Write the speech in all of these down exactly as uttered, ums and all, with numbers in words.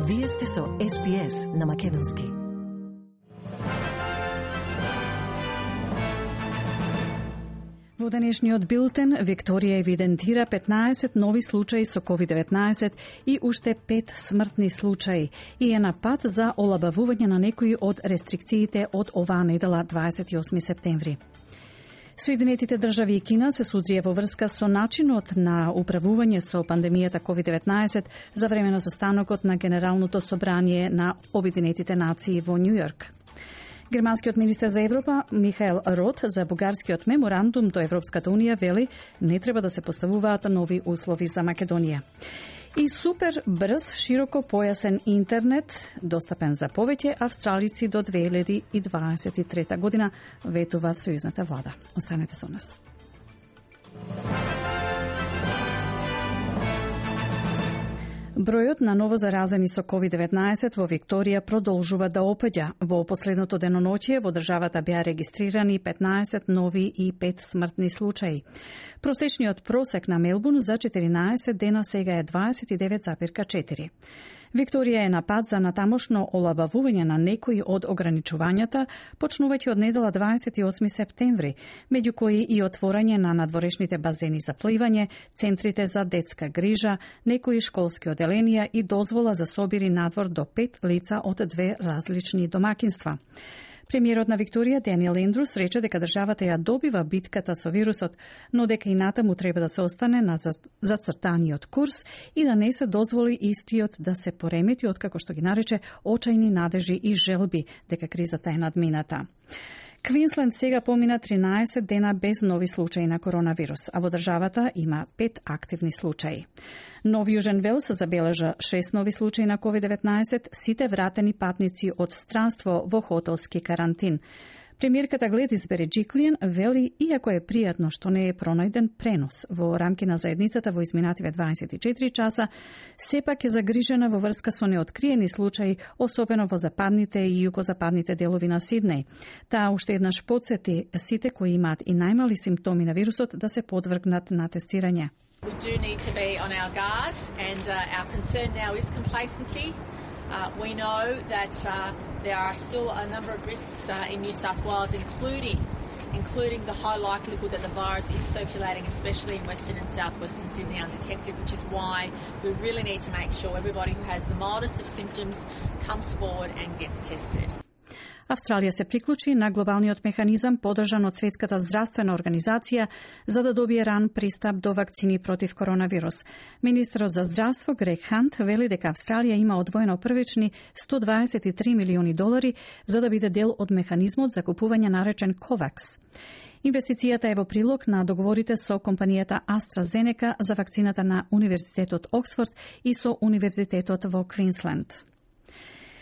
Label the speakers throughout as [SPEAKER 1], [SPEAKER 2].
[SPEAKER 1] Вие сте со Ес Би Ес на македонски. Во денешниот билтен, Викторија евидентира петнаесет нови случаи со ковид деветнаесет и уште пет смртни случаи и е на пат за олабавување на некои од рестрикциите од оваа недела дваесет и осми септември. Соединетите држави и Кина се судрија во врска со начинот на управување со пандемијата ковид деветнаесет за време на состанокот на Генералното собрание на Обединетите нации во Њу Јорк. Германскиот министер за Европа Михаел Рот за бугарскиот меморандум до Европската унија вели не треба да се поставуваат нови услови за Македонија. И супер брз, широко појасен интернет, достапен за повеќе австралици до две илјади и дваесет и трета година, ветува сојузната влада. Останете со нас. Бројот на новозаразени со ковид деветнаесет во Викторија продолжува да опаѓа. Во последното деноноќие во државата беа регистрирани петнаесет нови и пет смртни случаи. Просечниот просек на Мелбурн за четиринаесет дена сега е дваесет и девет запирка четири. Викторија е на пат за натамошно олабавување на некои од ограничувањата, почнувајќи од недела дваесет и осми септември, меѓу кои и отворање на надворешните базени за пливање, центрите за детска грижа, некои школски оделенија и дозвола за собири надвор до пет лица од две различни домакинства. Премиерот на Викторија, Даниел Ендрус, рече дека државата ја добива битката со вирусот, но дека и натаму треба да се остане на зацртаниот курс и да не се дозволи истиот да се поремети, откако што ги нарече очајни надежи и желби дека кризата е надмината. Квинсленд сега помина тринаесет дена без нови случаи на коронавирус, а во државата има пет активни случаи. Нов Јужен Велс забележа шест нови случаи на ковид деветнаесет, сите вратени патници од странство во хотелски карантин. Премиерката Гледис Береджиклиен вели, иако е пријатно што не е пронајден пренос во рамки на заедницата во изминативе дваесет и четири часа, сепак е загрижена во врска со неоткриени случаи, особено во западните и југозападните делови на Сиднеј. Таа уште еднаш потсети сите кои имаат и најмали симптоми на вирусот да се подвргнат на тестирање.
[SPEAKER 2] We do need to be on our guard, and uh, our concern now is complacency. Uh, we know that uh, there are still a number of risks uh, in New South Wales, including including the high likelihood that the virus is circulating, especially in Western and Southwestern Sydney undetected, which is why we really need to make sure everybody who has the mildest of symptoms comes forward and gets tested.
[SPEAKER 1] Австралија се приклучи на глобалниот механизам подржан од Светската здравствена организација за да добие ран пристап до вакцини против коронавирус. Министерот за здравство Грег Хант вели дека Австралија има одвоено првични сто дваесет и три милиони долари за да биде дел од механизмот за купување наречен Ковакс. Инвестицијата е во прилог на договорите со компанијата AstraZeneca за вакцината на Универзитетот Оксфорд и со Универзитетот во Квинсленд.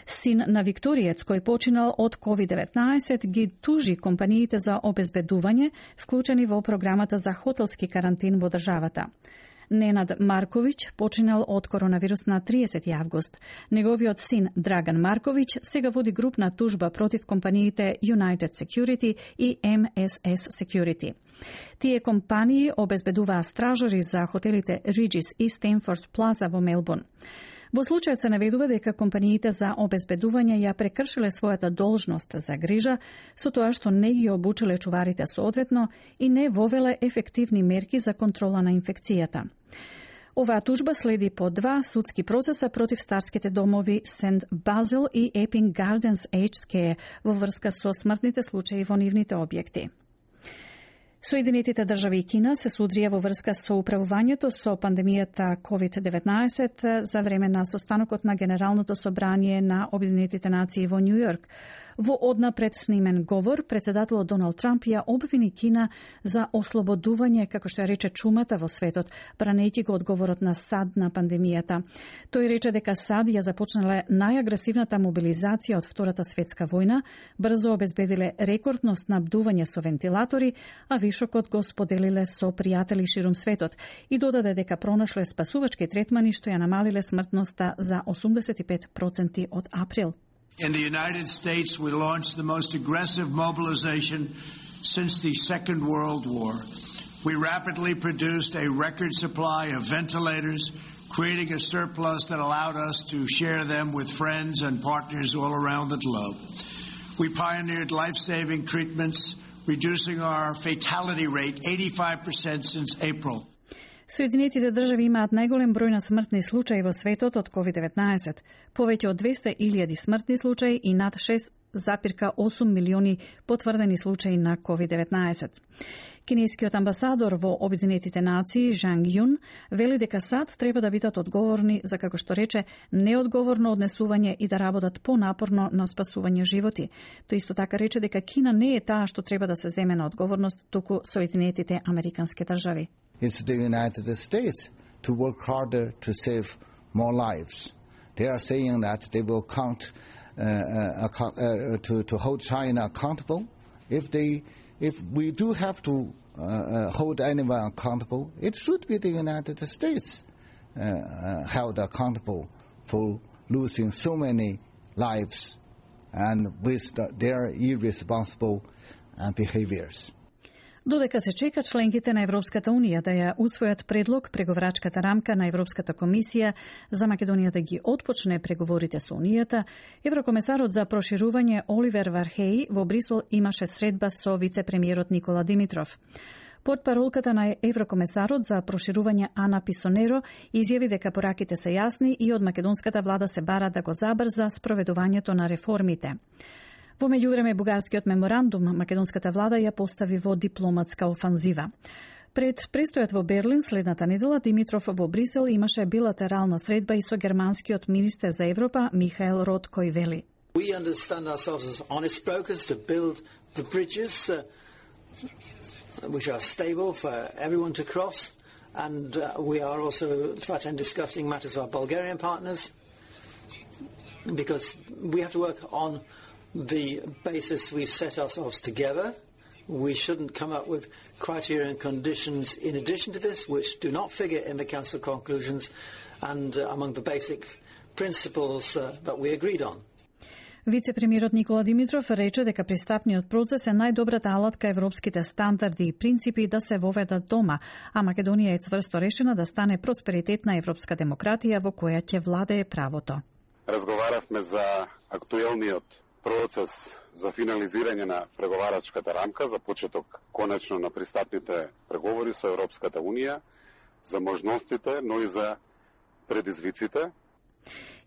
[SPEAKER 1] Син на викториец кој починал од ковид деветнаесет ги тужи компаниите за обезбедување, вклучени во програмата за хотелски карантин во државата. Ненад Марковиќ починал од коронавирус на триесети август. Неговиот син Драган Марковиќ сега води групна тужба против компаниите United Security и Ем Ес Ес Security. Тие компании обезбедуваа стражори за хотелите Regis и Stanford Plaza во Мелбурн. Во случајот се наведува дека компаниите за обезбедување ја прекршиле својата должност за грижа со тоа што не ги обучиле чуварите соодветно и не вовеле ефективни мерки за контрола на инфекцијата. Оваа тужба следи по два судски процеса против старските домови Сент Базил и Епинг Гарденс Aged Care во врска со смртните случаи во нивните објекти. Соединетите држави и Кина се судрија во врска со управувањето со пандемијата ковид деветнаесет за време на состанокот на Генералното собрание на Обединетите нации во Њу Јорк. Во однапред снимен говор, председателот Доналд Трамп ја обвини Кина за ослободување, како што ја рече, чумата во светот, бранејќи го одговорот на САД на пандемијата. Тој рече дека САД ја започнале најагресивната мобилизација од Втората светска војна, брзо обезбедиле рекордно снабдување со вентилатори, а вишокот го споделиле со пријатели ширум светот и додаде дека пронашле спасувачки третмани што ја намалиле смртноста за осумдесет и пет проценти од април.
[SPEAKER 3] In the United States, we launched the most aggressive mobilization since the Second World War. We rapidly produced a record supply of ventilators, creating a surplus that allowed us to share them with friends and partners all around the globe. We pioneered life-saving treatments, reducing our fatality rate eighty-five percent since April.
[SPEAKER 1] Соединетите држави имаат најголем број на смртни случаи во светот од ковид деветнаесет, повеќе од двесте илјади смртни случаи и над шест запирка осум милиони потврдени случаи на ковид деветнаесет. Кинескиот амбасадор во Обединетите нации Жанг Јун вели дека САД треба да бидат одговорни за, како што рече, неодговорно однесување и да работат понапорно на спасување животи. Тој исто така рече дека Кина не е таа што треба да се земе на одговорност, туку Соединетите Американски држави.
[SPEAKER 4] It's the United States to work harder to save more lives. They are saying that they will count uh, uh, uh, to to hold China accountable. If they, if we do have to uh, uh, hold anyone accountable, it should be the United States uh, uh, held accountable for losing so many lives and with the, their irresponsible uh, behaviors.
[SPEAKER 1] Додека се чека членките на Европската Унија да ја усвојат предлог преговарачката рамка на Европската комисија за Македонија да ги отпочне преговорите со Унијата, еврокомесарот за проширување Оливер Вархеј во Брисел имаше средба со вице-премиерот Никола Димитров. Портпаролката на еврокомесарот за проширување Ана Писонеро изјави дека пораките се јасни и од македонската влада се бара да го забрза спроведувањето на реформите. Во меѓувреме, бугарскиот меморандум македонската влада ја постави во дипломатска офанзива. Пред престојот во Берлин следната недела, Димитров во Брисел имаше билатерална средба и со германскиот министер за Европа Михаел Рот, кој вели:
[SPEAKER 5] We understand ourselves as honest brokers to build the bridges uh, which are stable for everyone to cross, and uh, we are also trying discussing matters with our Bulgarian partners, because we have to work on the basis we set ourselves together. We shouldn't come up with criteria and conditions in addition to this, which do not figure in the Council conclusions and uh, among the basic principles uh, that we agreed on.
[SPEAKER 1] Вице-премиерот Никола Димитров рече дека пристапниот процес е најдобрата алатка европските стандарди и принципи да се воведат дома, а Македонија е цврсто решена да стане просперитетна европска демократија во која ќе владее правото.
[SPEAKER 6] Разговаравме за актуелниот процес за финализирање на преговарачката рамка за почеток конечно на пристапните преговори со Европската Унија, за можностите, но и за предизвиците.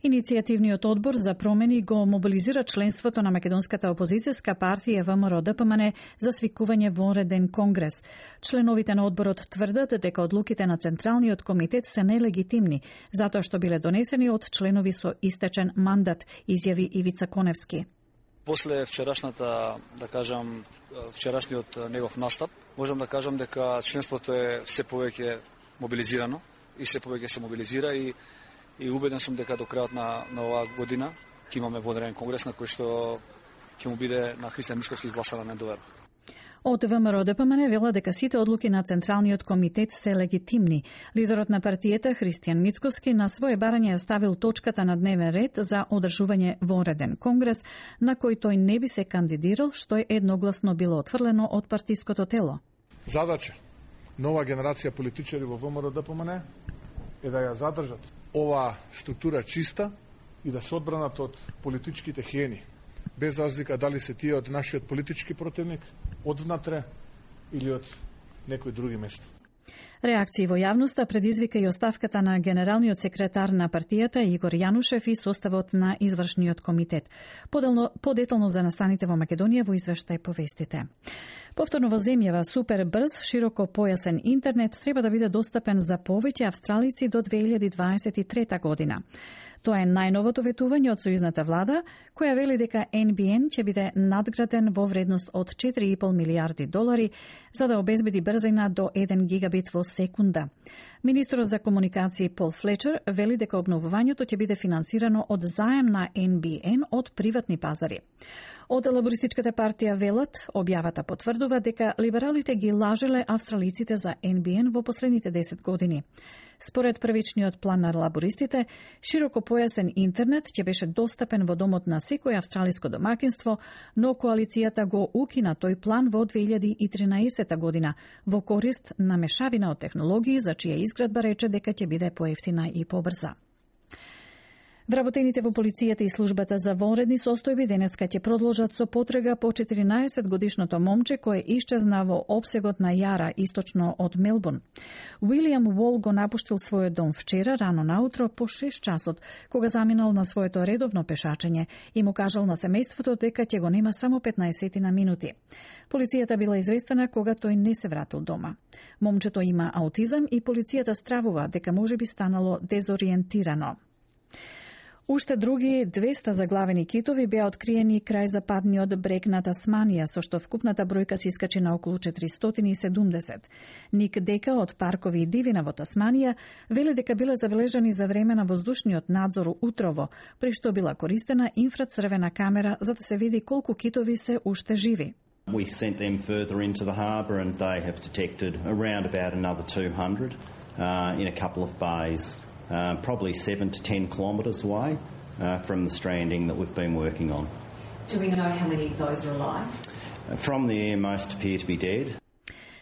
[SPEAKER 1] Иницијативниот одбор за промени го мобилизира членството на македонската опозицијска партија ВМРО-ДПМН за свикување вонреден конгрес. Членовите на одборот тврдат дека одлуките на Централниот комитет се нелегитимни, затоа што биле донесени од членови со истечен мандат, изјави Ивица Коневски.
[SPEAKER 7] После вчерашната, да кажам, вчерашниот негов настап, можам да кажам дека членството е се повеќе мобилизирано и се повеќе се мобилизира и и убеден сум дека до крајот на на оваа година ќе имаме вонреден конгрес на кој што ќе му биде на Христијан Мицкоски изгласана недоверба.
[SPEAKER 1] Од ВМРО-ДПМН вела дека сите одлуки на Централниот комитет се легитимни. Лидерот на партијата Христијан Мицкоски на своје барање ја ставил точката на дневен ред за одржување вонреден конгрес, на кој тој не би се кандидирал, што е едногласно било отфрлено од партиското тело.
[SPEAKER 8] Задача нова генерација политичари во ВМРО-ДПМН е да ја задржат оваа структура чиста и да се одбранат од политичките хиени, без разлика дали се тие од нашиот политички противник, од внатре или од некој други место.
[SPEAKER 1] Реакции во јавноста предизвика и оставката на генералниот секретар на партијата Игор Јанушев и составот на извршниот комитет. Поделно, подетално за настаните во Македонија во извештај по вестите. Повторно во земјава супер брз, широко појасен интернет треба да биде достапен за повеќе австралици до две илјади дваесет и трета година. Тоа е најновото ветување од сојузната влада, која вели дека Ен Би Ен ќе биде надграден во вредност од четири и пол милијарди долари за да обезбеди брзина до еден гигабит во секунда. Министерот за комуникации Пол Флечер вели дека обновувањето ќе биде финансирано од заем на Ен Би Ен од приватни пазари. Од Лабористичката партија велат, објавата потврдува дека либералите ги лажеле австралиците за Ен Би Ен во последните десет години. Според првичниот план на лабористите, широкопојасен интернет ќе беше достапен во домот на секој австралиско домакинство, но коалицијата го укина тој план во две илјади и тринаесета година во корист на мешавина од технологии за чија изградба рече дека ќе биде поевтина и побрза. Вработените во полицијата и службата за вонредни состојби денеска ќе продолжат со потрага по четиринаесет годишното момче кое исчезна во опсегот на Јара, источно од Мелбурн. Уилијам Уол го напуштил својот дом вчера рано наутро по шест часот, кога заминал на своето редовно пешачење и му кажал на семејството дека ќе го нема само петнаесет на минути. Полицијата била известена кога тој не се вратил дома. Момчето има аутизам и полицијата стравува дека можеби станало дезориентирано. Уште други двеста заглавени китови беа откриени крај западниот брег на Тасманија, со што вкупната бројка се искачи на околу четиристотини и седумдесет. Ник Дека од Паркови и дивина во Тасманија вели дека биле забележани за време на воздушниот надзор утрово, при што била користена инфрацрвена камера за да се види колку китови се уште живи.
[SPEAKER 9] We sent them further into the harbour and they have detected around about another two hundred uh, in a couple of bays. Uh, probably seven to ten kilometres away uh, from the stranding that we've been working on.
[SPEAKER 10] Do we know how many of those are alive?
[SPEAKER 9] Uh, from the air, most appear to be dead.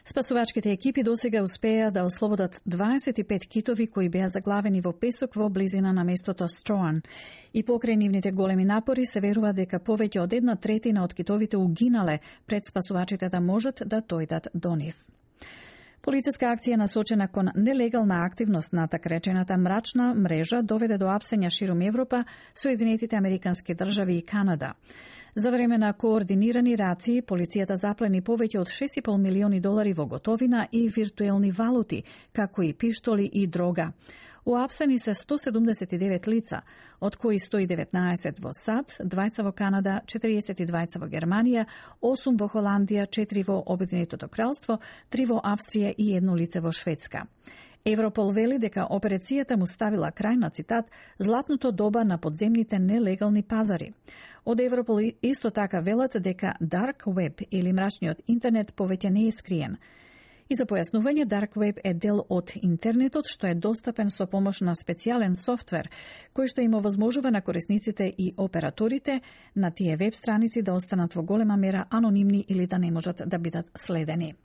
[SPEAKER 1] Спасувачките екипи досега успеа да ослободат дваесет и пет китови кои беа заглавени во песок во близина на местото Строан. И покрај нивните големи напори се верува дека повеќе од една третина од китовите угинале пред спасувачите да можат да дојдат до нив. Полициска акција насочена кон нелегална активност на така речената мрачна мрежа доведе до апсења ширум Европа, Соединетите Американски држави и Канада. За време на координирани рации, полицијата заплени повеќе од шест и пол милиони долари во готовина и виртуелни валути, како и пиштоли и дрога. Уапсени се сто седумдесет и девет лица, од кои сто и деветнаесет во САД, двајца во Канада, четириесет и двајца во Германија, осум во Холандија, четири во Обединетото кралство, три во Австрија и едно лице во Шведска. Европол вели дека операцијата му ставила крај на, цитат, златното доба на подземните нелегални пазари. Од Европол исто така велат дека Dark Web или мрачниот интернет повеќе не е скриен. И за појаснување, Dark Web е дел од интернетот што е достапен со помош на специјален софтвер, кој што им овозможува на корисниците и операторите на тие веб страници да останат во голема мера анонимни или да не можат да бидат следени.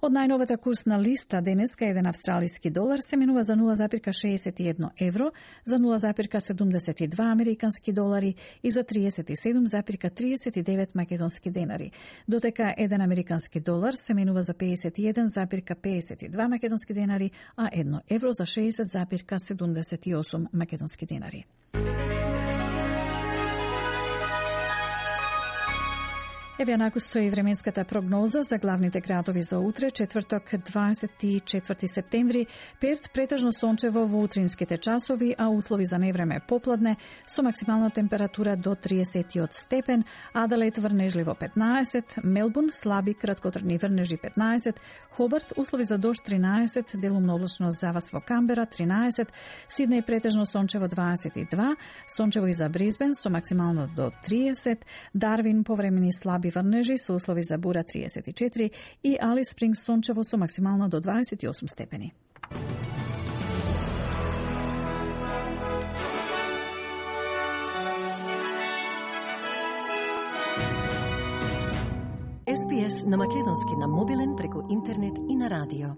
[SPEAKER 1] Од најновата курсна листа денеска еден австралиски долар се менува за нула запирка шеесет и едно евро, за нула запирка седумдесет и два американски долари и за триесет и седум запирка триесет и девет македонски денари. Дотека еден американски долар се менува за пеесет и еден запирка пеесет и два македонски денари, а едно евро за шеесет запирка седумдесет и осум македонски денари. Еве накус со и временската прогноза за главните градови за утре, четврток, дваесет и четврти септември. Перт претежно сончево во утринските часови, а услови за невреме попладне, со максимална температура до триесет степен, Аделаид врнежливо петнаесет, Мелбурн слаби краткотрajни врнежи петнаесет, Хобарт услови за дожд тринаесет, делумно облачно завас во Камбера тринаесет, Сиднеј претежно сончево дваесет и два, сончево и за Брисбен со максимално до триесет, Дарвин повремени слаби врнежи со услови за бура триесет и четири и Алис Спрингс сончево со максимално до дваесет и осум степени.
[SPEAKER 11] Ес Би Ес на македонски на мобилен преку интернет и на радио.